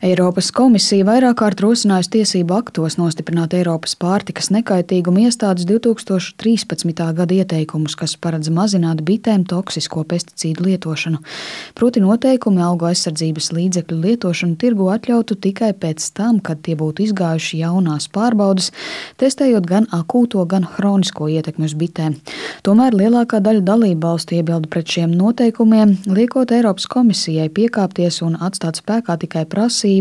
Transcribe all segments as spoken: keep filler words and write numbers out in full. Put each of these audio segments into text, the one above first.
Eiropas komisija vairāk kārt rosinājusi tiesību aktos nostiprināt Eiropas pārtikas nekaitīguma iestādes divi tūkstoši trīspadsmitā gada ieteikumus, kas paredz mazināt bitēm toksisko pesticīdu lietošanu. Proti noteikumi augu aizsardzības līdzekļu lietošanu tirgu atļautu tikai pēc tam, kad tie būtu izgājuši jaunās pārbaudes, testējot gan akūto, gan hronisko ietekmi uz bitēm. Tomēr lielākā daļa dalībvalstu iebilda pret šiem noteikumiem, liekot Eiropas komisijai piekāpties un atstāt spēkā tikai prasību,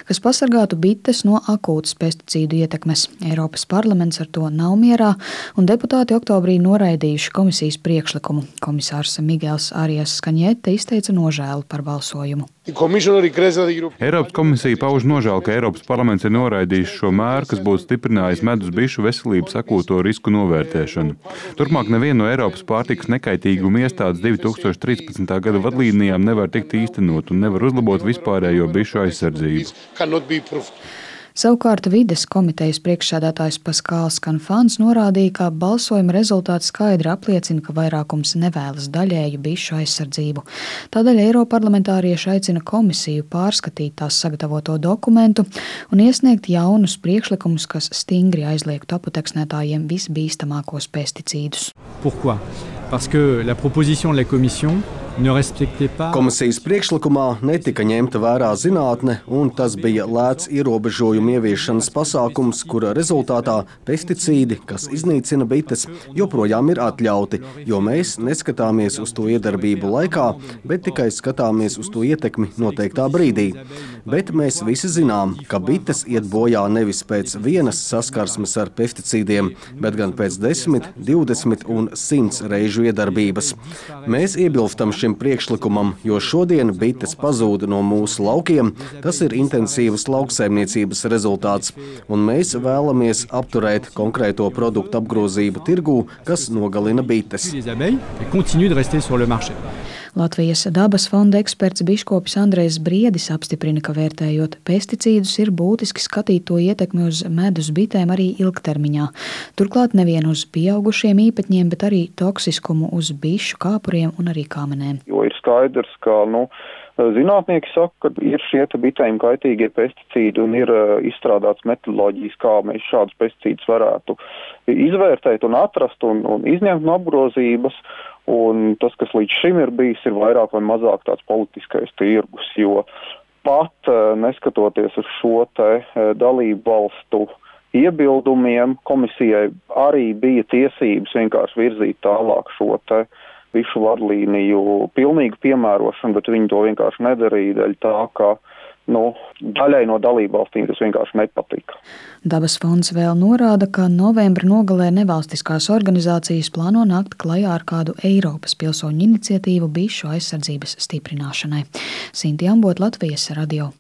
kas pasargātu bites no akūtas pesticīdu ietekmes. Eiropas parlaments ar to nav mierā, un deputāti oktobrī noraidījuši komisijas priekšlikumu. Komisārs Miguels Arias Kaņete izteica nožēlu par balsojumu. Eiropas komisija pauž nožēlu, ka Eiropas parlaments ir noraidījis šo mēru, kas būtu stiprinājis medus bišu veselības akūto risku novērtēšanu. Turpmāk neviena no Eiropas pārtikas nekaitīguma iestādes divi tūkstoši trīspadsmitā gada vadlīnijām nevar tikt īstenot un nevar uzlabot vispārējo bišu aizsardzību. Savukārt vides komitejas priekšsēdētājs Paskāls Kanfāns norādīja, ka balsojuma rezultāts skaidri apliecina, ka vairākums nevēlas daļēju bišu aizsardzību. Tādēļ eiroparlamentārieši aicina komisiju pārskatīt tās sagatavoto dokumentu un iesniegt jaunus priekšlikumus, kas stingri aizliegtu aputeksnētājiem visbīstamākos pesticīdus. Pourquoi? Parce que la proposition de la Commission ne respectait pas... Komisijas priekšlikumā netika ņemta vērā zinātne, un tas bija lēts ierobežojumu ieviešanas pasākums, kura rezultātā pesticīdi, kas iznīcina bites, joprojām ir atļauti, jo mēs neskatāmies uz to iedarbību laikā, bet tikai skatāmies uz to ietekmi noteiktā brīdī. Bet mēs visi zinām, ka bites iet bojā nevis pēc vienas saskarsmes ar pesticīdiem, bet gan pēc desmit, divdesmit un simts reižu iedarbības. Mēs iebilstam šim priekšlikumam, jo šodien bites pazūd no mūsu laukiem, tas ir intensīvas lauksaimniecības rezultāts, un mēs vēlamies apturēt konkrēto produktu apgrozību tirgū, kas nogalina bites. Latvijas dabas fonda eksperts biškopis Andrejs Briedis apstiprina, ka vērtējot pesticīdus ir būtiski skatīt to ietekmi uz medus bitēm arī ilgtermiņā. Turklāt nevien uz pieaugušiem īpatņiem, bet arī toksiskumu uz bišu kāpuriem un arī kāmenēm. Jo ir skaidrs, ka, nu, zinātnieki saka, ka ir šie bitēm kaitīgie pesticīdi un ir izstrādāts metodoloģijas, kā mēs šādus pesticīdus varētu izvērtēt un atrast un, un izņemt no apgrozības. Un tas, kas līdz šim ir bijis, ir vairāk vai mazāk tāds politiskais tirgus, jo pat neskatoties uz šo te dalību valstu iebildumiem, komisijai arī bija tiesības vienkārši virzīt tālāk šo te visu vadlīniju pilnīgu piemērošanu, bet viņi to vienkārši nedarīja dēļ tā, ka nu, daļai no dalībvalstīm tas vienkārši nepatika. Dabas fonds vēl norāda, ka novembra nogalē nevalstiskās organizācijas plāno nākt klajā ar kādu Eiropas pilsoņu iniciatīvu bišu aizsardzības stiprināšanai. Sinti Ambot, Latvijas radio.